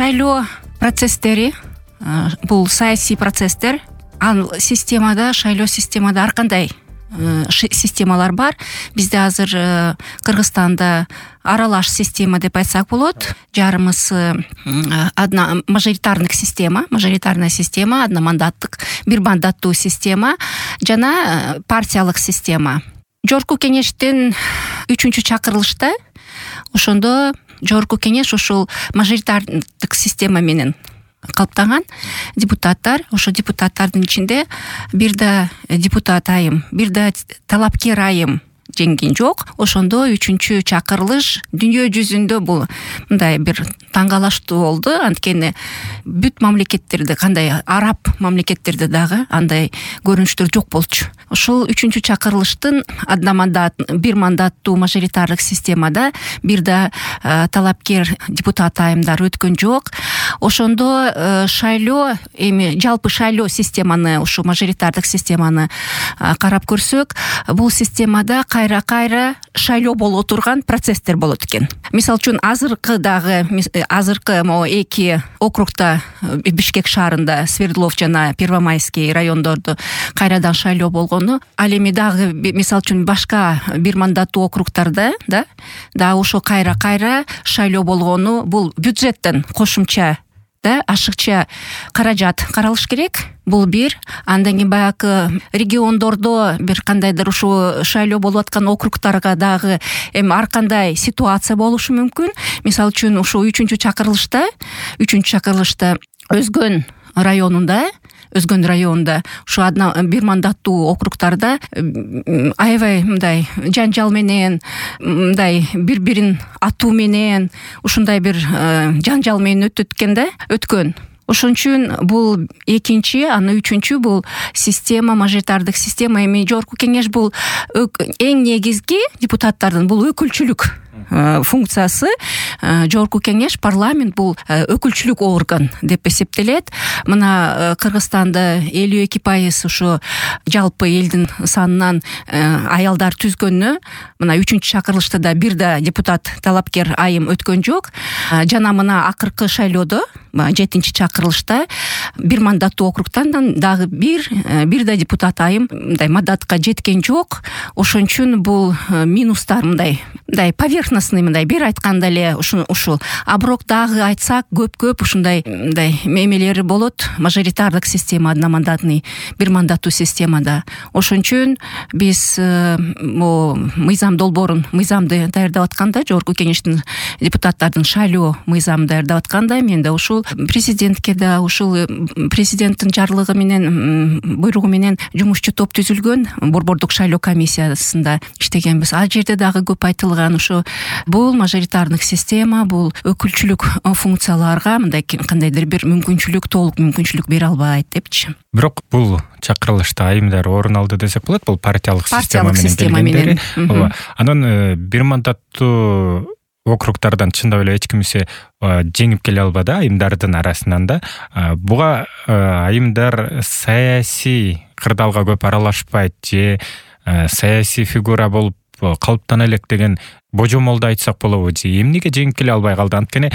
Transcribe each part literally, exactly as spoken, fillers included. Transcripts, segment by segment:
шайлоо процесстери бул саясий процесстер. Ал системада, шайлоо системада ар кандай системалар бар. Бизде азыр Кыргызстанда аралаш система деп айтсак болот. Жарымыз одна мажоритарный система, мажоритарная система, одномандаттык, бир мандаттуу система жана партиялык система. Жогорку кеңештин үчүнчү чакырылышта ошондо жогорку кеңеш ушул мажоритардык система менен калыптанган. Депутаттар, ошо депутаттардын ичинде бир да депутат айым, бир да талапкер айым жеңген жок. Ошондо үчүнчү чакырылыш дүйнө жүзүндө бул мындай бир таң калыштуу болду. Анткени бүт мамлекеттерде, кандай араб мамлекеттерде дагы андай көрүнүштөр жок болчу. Ушул үчүнчү чакырылыштын одномандат, бир мандаттуу мажоритардык системада бир да талапкер депутат айымдар өткөн жок. Ошондо шайлоо, эми жалпы шайлоо системаны, ушу мажоритардык системаны карап көрсөк, бул системада кайра-кайра шайлоо боло турган процесстер болот экен. Мисалы үчүн азыркы дагы азыркы могу эки округта, Бишкек шаарында, Свердлов жана Первомайский райондордо кайрадан шайлоо болгону, ал эми дагы мисалы үчүн башка бир мандаттуу округтарда да да ошо кайра-кайра шайлоо болгону, бул бюджеттен кошумча да ашыкча каражат каралыш керек. Бул бир. Андан кийин баягы региондордо бир кандайдыр ушу шайлоо болуп аткан округтарга дагы эми ар кандай ситуация болушу мүмкүн. Мисалы үчүн ушу үчүнчү чакырылышта, үчүнчү чакырылышта Өзгөн районунда Өзгөн районунда ушу одна бир мандаттуу округтарда аябай мындай жанжал менен, мындай бири-бирин атуу менен, ушундай бир жанжал менен өтөт экен да, өткөн. Ошон үчүн бул экинчи, аны үчүнчү бул система, мажоритардык система. Эми жогорку кеңеш бул эң негизги депутаттардын бул өкүлчүлүк функциясы. Жогорку кеңеш, парламент бул өкүлчүлүк орган деп эсептелет. Мына Кыргызстанда элүү эки пайыз ушу жалпы элдин санынан аялдар түзгөнү, мына үчүнчү чакырылышта да бир да депутат талапкер айым өткөн жок. Жана мына акыркы шайлоодо, жетинчи чакырылышта бир мандаттуу округтан дагы бир бир да депутат айым мындай мандатка жеткен жок. Ошон үчүн бул минустар мындай мындай поверхностный, мындай бир айтканда эле ушул ушул. А бирок дагы айтсак көп-көп ушундай мындай мемелери болот. Мажоритардык система, одномандатный, бир мандаттуу системада. Ошон үчүн биз могу мыйзам долбоорун, мыйзамды даярдап атканда, жогорку кеңештин депутаттардын шайлоо мыйзамын даярдап атканда, мен да ушул президентке да ушул президенттин жарлыгы менен, буйругу менен жумушчу топ түзүлгөн, борбордук шайлоо комиссиясында иштегенбиз. Ал жерде дагы көп айтылган ушу бул мажоритардык система, бул өкүлчүлүк функцияларга мындай кандайдыр бир мүмкүнчүлүк, толук мүмкүнчүлүк бере албайт депчи. Бирок бул чакырылышта айымдар орун алды десек болот. Бул партиялык система менен келгендери. Анан бир мандаттуу округтардан чындап эле эч кимсе жеңип келе албады айымдардын арасынан да. Буга айымдар саясий кырдаалга көп аралашпайт же саясий фигура болуп калыптана элек деген божомолду айтсак болобу же эмнеге жеңип келе албай калды? Анткени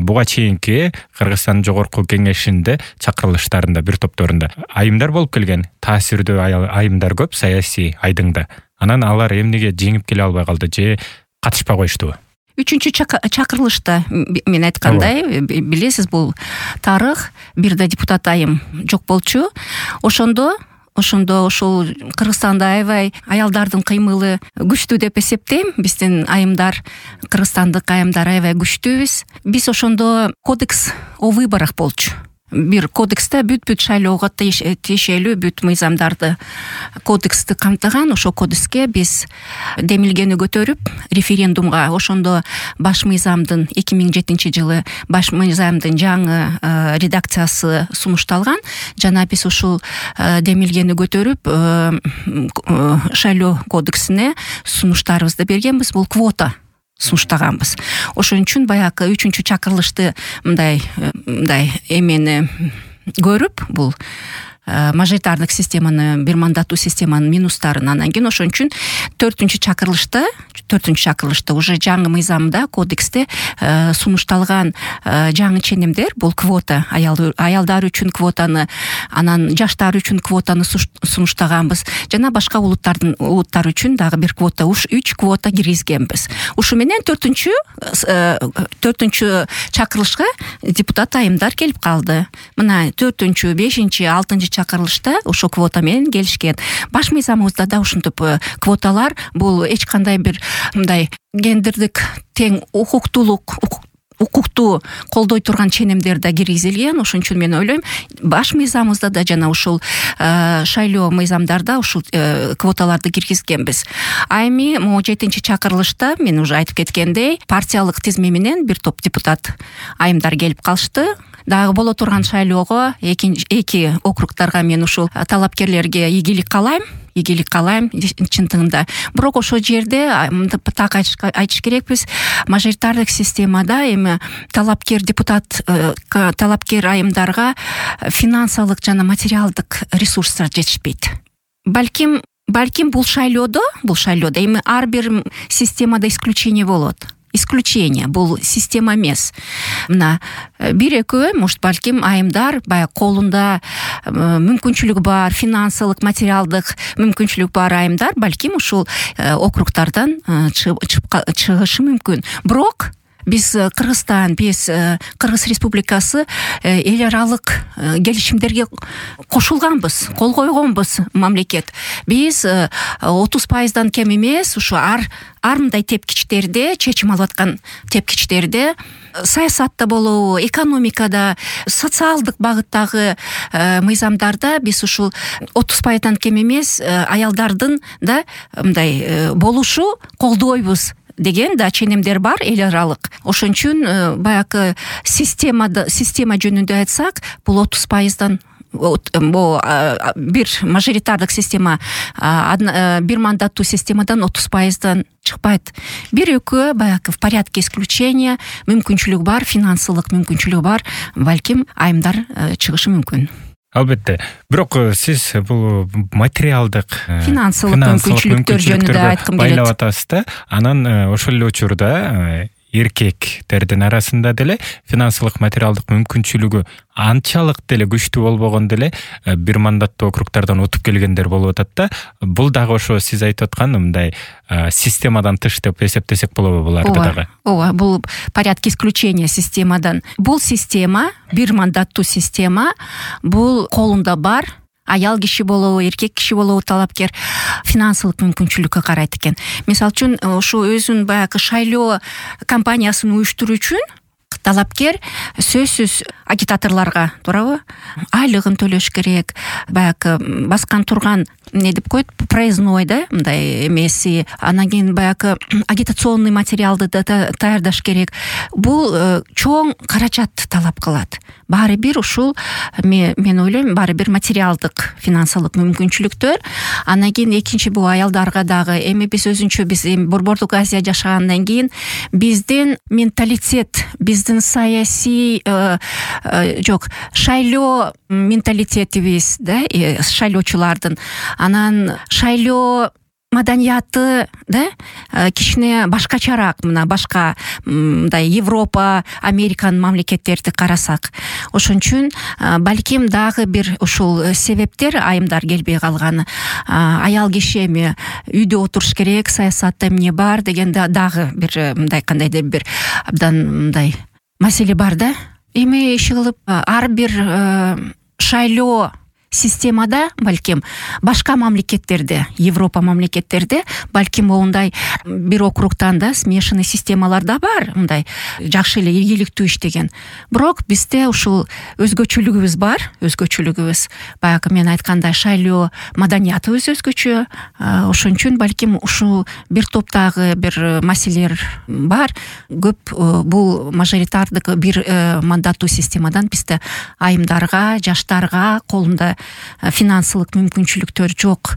буга чейинки Кыргызстан жогорку кеңешинде чакырылыштарында бир топторунда айымдар болуп келген, таасирдүү айымдар көп саясий айдыңда. Анан алар эмнеге жеңип келе албай калды же катышпай коюштубу? Үчүнчү чакырылышта мен айткандай, билесиз, бул тарых, бир да депутат айым жок болчу. Ошондо Ошондо ошол Кыргызстанда аябай аялдардын кыймылы күчтүү деп эсептейм. Биздин айымдар, кыргызстандык айымдар аябай күчтүүбүз. Биз ошондо кодекс о выборах болчу. Бир кодексте бүт-бүт шайлоого тиешелүү бүт мыйзамдарды кодексти камтыган. Ошол кодекске биз демилгени көтөрүп референдумга, ошондо баш мыйзамдын эки миң жетинчи жылы баш мыйзамдын жаңы редакциясы сунушталган. Жана биз ушул демилгени көтөрүп шайлоо кодексине сунуштарыбызды бергенбиз. Бул квота сунуштаганбыз. Ошон үчүн баягы үчүнчү чакырылышты мындай мындай эмени көрүп, бул мажоритардык системаны, бир мандаттуу системанын минустарын. Анан кийин ошон үчүн төртүнчү чакырылышта төртүнчү чакырылышта уже жаңы мыйзамда, кодексте сунушталган жаңы ченемдер, бул квота, аялдар үчүн квотаны, анан жаштар үчүн квотаны сунуштаганбыз. Жана башка улуттардын улуттар үчүн дагы бир квота, уш үч квота киргизгенбиз. Ушу менен төртүнчү төртүнчү чакырылышка депутат айымдар келип калды. Мына төртүнчү, бешинчи, алтынчы чакырылышта ошо квота менен келишкен. Баш мыйзамыбызда да ушинтип квоталар бул эч кандай бир мындай гендердик тең укуктуулук укукту колдой турган ченемдер да киргизилген. Ошон үчүн мен ойлойм, баш мыйзамыбызда да жана ушул шайлоо мыйзамдарда ушул квоталарды киргизгенбиз. А эми могу жетинчи чакырылышта мен уже айтып кеткендей, партиялык тизме менен бир топ депутат айымдар келип калышты. Дагы боло турган шайлоого эки эки округдарга мен ушул талапкерлерге ийгилик каалайм. ийгилик каалайм чынтыгында. Бирок ошол жерде так айтыш керекпиз, мажоритардык системада эми талапкер депутат, талапкер айымдарга финансылык жана материалдык ресурстар жетишпейт. Балким балким бул шайлоодо, бул шайлоодо эми ар бир системада исключение болот. Исключение, бул система эмес. Мына бир экөө, может, балким айымдар баягы колунда мүмкүнчүлүгү бар, финансылык, материалдык мүмкүнчүлүгү бар айымдар балким ушул округдардан чыгышы мүмкүн. Бирок биз Кыргызстан, биз Кыргыз Республикасы эл аралык келишимдерге кошулганбыз, кол койгонбуз мамлекет. Биз отуз пайыздан кем эмес, ушу ар ар мындай тепкичтерде, чечим алып аткан тепкичтерде, саясатта болобу, экономикада, социалдык багыттагы мыйзамдарда биз ушул отуз пайыздан кем эмес аялдардын да мындай болушу колдойбуз деген да ченемдер бар эл аралык. Ошон үчүн баягы системада система жөнүндө айтсак, бул отуз пайыздан бир мажоритардык система, бир мандаттуу системадан отуз пайыздан чыкпайт. Бир экөө баягы в порядке исключения, мүмкүнчүлүгү бар, финансылык мүмкүнчүлүгү бар, балким айымдар чыгышы мүмкүн. Албетте. Бирок сиз бул материалдык, финансылык мүмкүнчүлүктөр жөнүндө айткым келет. Байлап атасыз да, анан ошол эле учурда эркектердин арасында деле финансылык, материалдык мүмкүнчүлүгү анчалык деле күчтүү болбогон деле бир мандаттуу округдардан утуп келгендер болуп атат да. Бул дагы ошо сиз айтып аткан мындай системадан тыш деп эсептесек болобу буларды дагы? Ооба, бул порядке исключения системадан. Бул система, бир мандаттуу система, бул колунда бар аял киши болобу, эркек киши болобу талапкер финансылык мүмкүнчүлүккө карайт экен. Мисалы үчүн, ушу өзүнүн баягы шайлоо кампаниясын уюштуруу үчүн талапкер сөзсүз агитаторлорго, туурабы, айлыгын төлөш керек, баягы баскан турган эмне деп коет, проездной да, мындай эмеси, анан кийин баягы агитационный материалды да даярдаш керек. Бул чоң каражат талап кылат. Баары бир ушул мен ойлойм, баары бир материалдык, финансылык мүмкүнчүлүктөр. Анан кийин экинчи бул аялдарга дагы, эми биз өзүнчө биз эми Борбордук Азия жашагандан кийин биздин менталитет, биздин саясий жок, шайлоо менталитетибиз да, шайлоочулардын, анан шайлоо маданияты да кичине башкачараак, мына башка мындай Европа, Американын мамлекеттерди карасак. Ошон үчүн балким дагы бир ушул себептер айымдар келбей калганы. Аял киши эми үйдө отуруш керек, саясатта эмне бар деген дагы бир мындай кандайдыр бир абдан мындай маселе бар да. Эми иши кылып ар бир шайлоо системада балким башка мамлекеттерде, Европа мамлекеттерде балким оундай бир округтан да смешанный системалар да бар, мындай жакшы эле ийгиликтүү иштеген. Бирок бизде ушул өзгөчөлүгүбүз бар, өзгөчөлүгүбүз. Баягы мен айткандай шайлоо маданиятыбыз өзгөчө. Ошон үчүн балким ушул бир топтагы бир маселелер бар. Көп бул мажоритардык бир мандаттуу системадан бизде айымдарга, жаштарга колунда финансылык мүмкүнчүлүктөр жок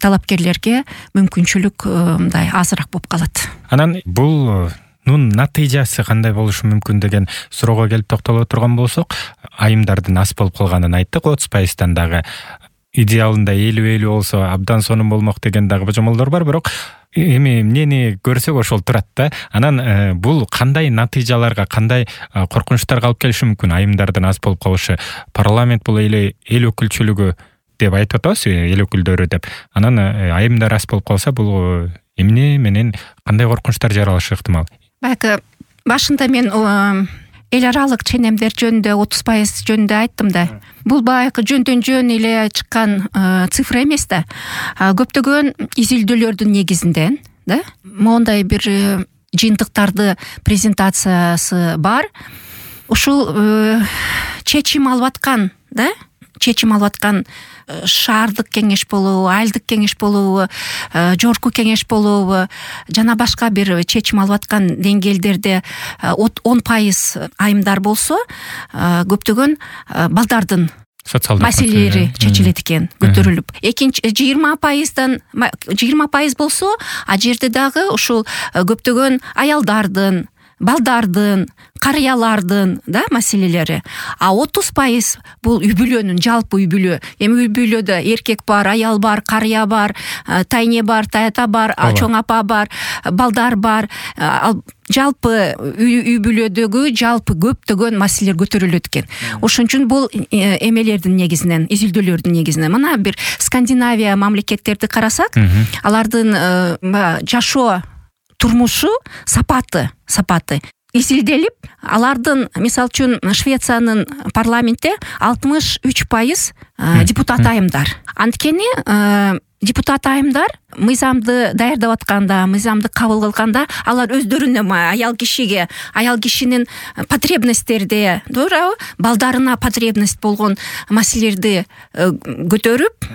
талапкерлерге мүмкүнчүлүк мындай азыраак болуп калат. Анан бул мунун натыйжасы кандай болушу мүмкүн деген суроого келип токтоло турган болсок, айымдардын аз болуп калганын айттык. отуз пайыздан дагы идеалында элүү элүү болсо абдан сонун болмок деген дагы божомолдор бар, бирок эми эмнени көрсөк ошол турат да. Анан бул кандай натыйжаларга, кандай коркунучтарга алып келиши мүмкүн? Айымдардын аз болуп калышы, парламент бул эле эл өкүлчүлүгү деп айтып атабыз, эл өкүлдөрү деп. Анан айымдар аз болуп калса, бул эмне менен кандай коркунучтар жаралышы ыктымал? Баягы башында мен эл аралык ченемдер жөнүндө отуз пайыз жөнүндө айттым да. Бул баягы жөндөн жөн эле чыккан цифра эмес да. Көптөгөн изилдөөлөрдүн негизинде, да, моундай бир жыйынтыктарды презентациясы бар. Ушул чечим алып аткан, да, чечим алып аткан шаардык кеңеш болобу, айылдык кеңеш болобу, жогорку кеңеш болобу, жана башка бир чечим алып аткан деңгээлдерде он пайыз айымдар болсо, көптөгөн балдардын маселелери чечилет экен, көтөрүлүп. Экинчи жыйырма пайыздан жыйырма пайыз болсо, а жерде дагы ушул көптөгөн аялдардын, балдардын, карыялардын, да, маселелери. А отуз пайыз бул үй бүлөнүн, жалпы үй бүлө. Эми үй бүлөдө эркек бар, аял бар, карыя бар, тайне бар, тайата бар, чоң апа бар, балдар бар. Жалпы үй бүлөдөгү жалпы көптөгөн маселелер көтөрүлөт экен. Ошон үчүн бул эмелердин негизинен, изилдөөлөрдүн негизинен мына бир Скандинавия мамлекеттерди карасак, алардын жашоо турмушу сапаты, сапаты изилделип, алардын, мисалы үчүн, Швециянын парламентте алтымыш үч пайыз депутат айымдар. Анткени депутат айымдар мыйзамды даярдап атканда, мыйзамды кабыл кылганда, алар өздөрүнө, аял кишиге, аял кишинин потребносттерде, туурабы, балдарына потребность болгон маселелерди көтөрүп,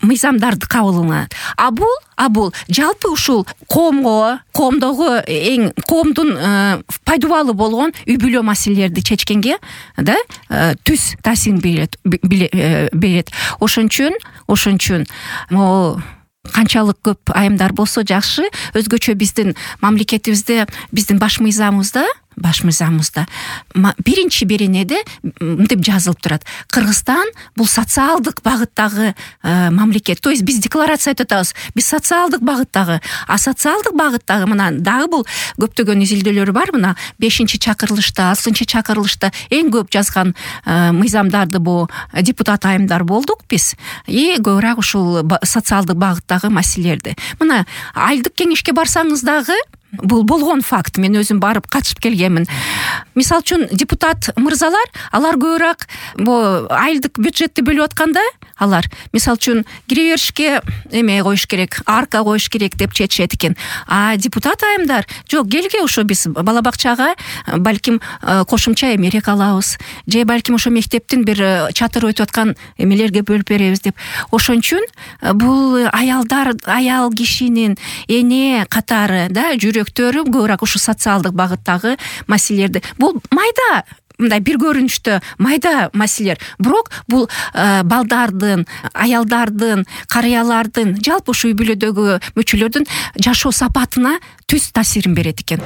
мыйзамдарды кабыл кылат. А бул, а бул жалпы ушул коомго, коомдогу эң коомдун пайдалуу болгон үй бүлө маселелерди чечкенге, да, түз таасирин берет, берет. Ошон үчүн, ошон үчүн могу канчалык көп айымдар болсо жакшы. Өзгөчө биздин мамлекетибизде, биздин баш мыйзамыбызда, баш мыйзамыбызда биринчи беренеде мынтип жазылып турат: Кыргызстан бул социалдык багыттагы мамлекет. То есть биз декларация айтып атабыз, биз социалдык багыттагы. А социалдык багыттагы мына дагы бул көптөгөн изилдөөлөр бар. Мына бешинчи чакырылышта, алтынчы чакырылышта эң көп жазган мыйзамдарды бул депутат айымдар болдук биз. И көбүрөөк ушул социалдык багыттагы маселелерди. Мына айылдык кеңешке барсаңыз дагы бул болгон факт. Мен өзүм барып катышып келгенмин. Мисалы үчүн депутат мырзалар, алар көбүрөөк бу айылдык бюджетти бөлүп атканда, алар мисалы үчүн киреберишке эме коюш керек, арка коюш керек деп чечет экен. А депутат айымдар жок, келге ошо биз бала бакчага балким кошумча эмерек алабыз, же балким ошо мектептин бир чатыр өтүп аткан эмелерге бөлүп беребиз деп. Ошон үчүн бул аялдар, аял кишинин эне катары, да, жүрөктөрү көбүрөөк ушу социалдык багыттагы маселелерди. Бул майда, мындай бир көрүнүштө майда маселелер, бирок бул балдардын, аялдардын, карыялардын, жалпы ушу үй бүлөдөгү мүчөлөрдүн жашоо сапатына түз таасирин берет экен.